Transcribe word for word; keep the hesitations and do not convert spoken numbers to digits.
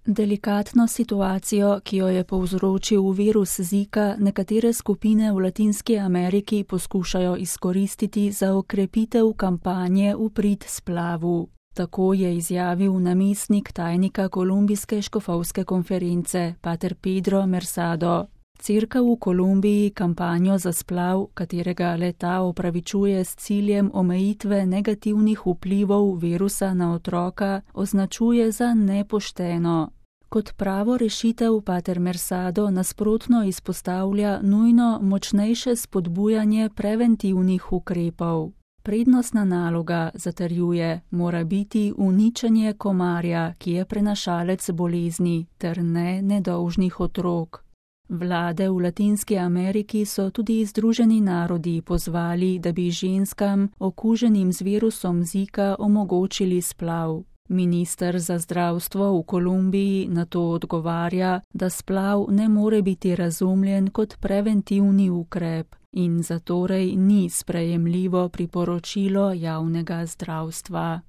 Delikatno situacijo, ki jo je povzročil virus Zika, nekatere skupine v Latinski Ameriki poskušajo izkoristiti za okrepitev kampanje v prid splavu. Tako je izjavil namestnik tajnika kolumbijske škofovske konference, pater Pedro Mersado. Cerkev v Kolumbiji kampanjo za splav, katerega le-ta opravičuje s ciljem omejitve negativnih vplivov virusa na otroka, označuje za nepošteno. Kot pravo rešitev pater Mersado nasprotno izpostavlja nujno močnejše spodbujanje preventivnih ukrepov. Prednostna naloga, zatrjuje, mora biti uničenje komarja, ki je prenašalec bolezni, ter ne nedolžnih otrok. Vlade v Latinski Ameriki so tudi Združeni narodi pozvali, da bi ženskam, okuženim z virusom Zika, omogočili splav. Minister za zdravstvo v Kolumbiji na to odgovarja, da splav ne more biti razumljen kot preventivni ukrep in zatorej ni sprejemljivo priporočilo javnega zdravstva.